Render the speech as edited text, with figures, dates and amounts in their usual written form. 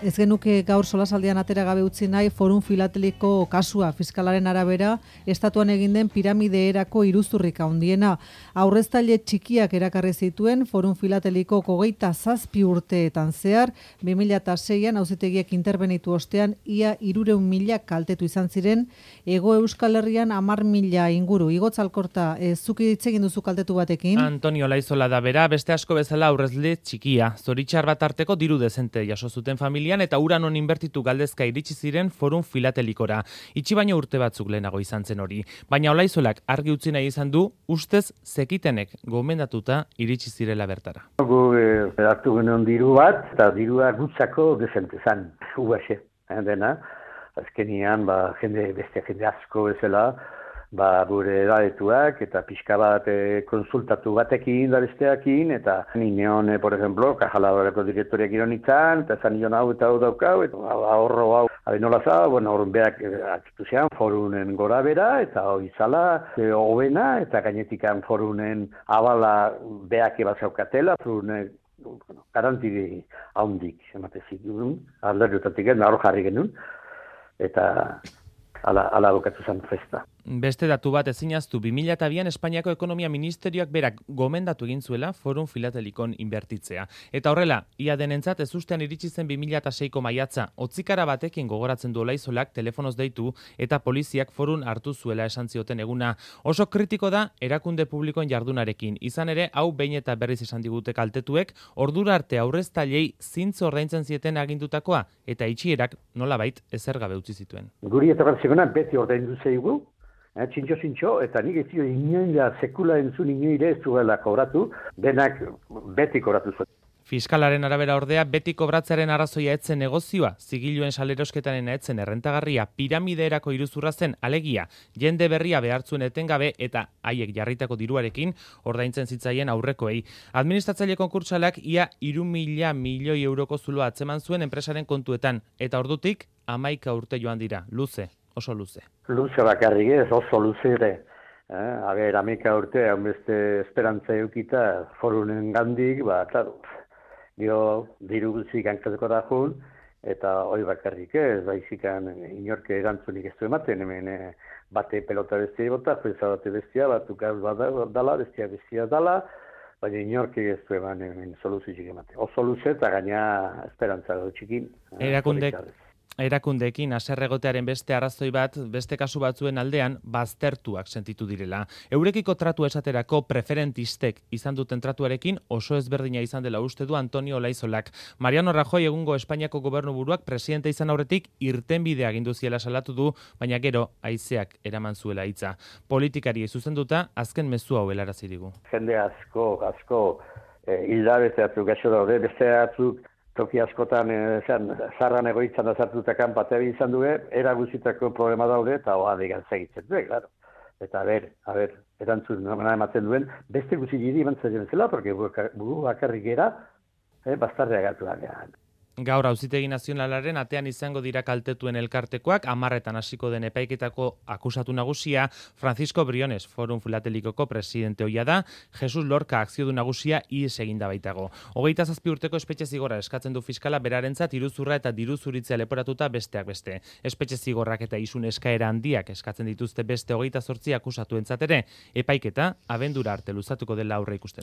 Ez genuke gaur solasaldian atera gabe utzi nahi Forum Filateliko kasua. Fiskalaren arabera, estatuan egin den piramide erako iruzurrik handiena. Aurreztaile txikiak erakarri zituen Forum Filateliko 27 urteetan zehar, 2006an auzitegiak interbenitu ostean ia 300.000 kaltetu izan ziren, Hego Euskal Herrian 10.000 inguru. Igotz Alkorta, zuk hitz egin duzu kaltetu batekin? Antonio Laizola da bera, beste asko bezala aurrezle txikia. Zoritxar bat arteko diru dezente jaso zuten familia eta uranon inbertitu galdezka iritsi ziren Forum Filatelikora. Itxi baino urte batzuk lehenago izan zen hori. Baina Olaizolak argi utzi nahi izan du, ustez zekitenek gomendatuta iritsi zirela bertara. Gu hartu genuen diru bat, eta dirua gutzako dezente zan, UAX, dena. Azkenian, beste jende asko bezala, gure edadetuak eta pixka bat konsultatu batekin da besteakin, eta nineon, por ejemplo, Kajaladoreko direktoriak ironitzan, eta zan nion hau eta hau daukau, eta ahorro hau, nola za, horren beak akitu zean Forunen gora bera, eta hori zala, hobena, eta gainetikan Forunen abala beak ebazaukatela, Forunen garantide haundik, ematezik duen, alderriotatik hor jarri genuen, eta ala bukatu zen festa. Beste datu bat ezinaztu, 2002an Espainiako Ekonomia Ministerioak berak gomendatu egin zuela Forum Filatelikon inbertitzea. Eta horrela, ia denentzat ez ustean iritsi zen 2006ko maiatza, hotzikara batekin gogoratzen du Olaizolak telefonoz deitu eta poliziak Forun hartu zuela esan zioten eguna. Oso kritiko da erakunde publikoen jardunarekin. Izan ere, hau behin eta berriz esan digute kaltetuek, ordura arte aurreztailei zintzo ordaintzen zieten agindutakoa eta itxierak nolabait ezer gabe utzi zituen. Guri eta garzegona beti ordaindu zeigu, txintxo, eta nik ez zio inoila sekula entzun inoire ez zuela kobratu, denak beti kobratu zuen. Fiskalaren arabera ordea, beti kobratzearen arrazoia etzen negozioa, zigiluen salerosketaren etzen errentagarria, piramide erako iruzurra zen alegia, jende berria behartzuen etengabe eta haiek jarritako diruarekin ordaintzen zitzaien aurrekoei. Administratzaile konkurtsalak ia 3.000 milioi euroko zuloa atzeman zuen enpresaren kontuetan, eta ordutik 11 urte joan dira, luze. Oso luze. Luze bakarrik ez, oso luze ere. 11 urte, beste esperantza eukita Forunen gandik, klaro, diru gutzik hankazeko da jun, eta hori bakarrik ez, baizikan inorke erantzunik ez du ematen, hemen bate pelota bestia bota, jueza bate bestia, batuk dala, bestia dala, baina inorke ez du eman hemen soluzioik ematen. Oso luze eta gaina esperantza txikin. Erakundeekin haserregotearen beste arrazoi bat, beste kasu batzuen aldean, baztertuak sentitu direla. Eurekiko tratu esaterako preferentistek izan duten tratuarekin oso ezberdina izan dela uste du Antonio Olaizolak. Mariano Rajoy egungo Espainiako gobernuburuak presidente izan aurretik irtenbidea agindu ziela salatu du, baina gero haizeak eraman zuela hitza. Politikari zuzenduta azken mezu hau helarazi digu. Jende asko hilabete batzuk gaixo daude, beste batzuk toki askotan zarran egoitzan azartutakan batean izan du, eraguzitako problema daude, eta oadegan segitzen du, klaro. Eta erantzun ematen duen, beste guzi giri emantzen zela, porque gu bakarrik gera, bastarrea gatu ganean. Gaur Auzitegi Nazionalaren atean izango dira kaltetuen elkartekoak, 10etan hasiko den epaiketako akusatu nagusia, Francisco Briones, Forum Filatelikoko presidente ohia da, Jesus Lorca akziodu nagusia ihes eginda baitago. 27 urteko espetxe zigorra eskatzen du fiskala berarentzat iruzurra eta diruzuritzea leporatuta besteak beste. Espetxe zigorrak eta isun eskaera handiak eskatzen dituzte beste 28 akusatuentzat ere, epaiketa abendura arte luzatuko dela aurre ikusten.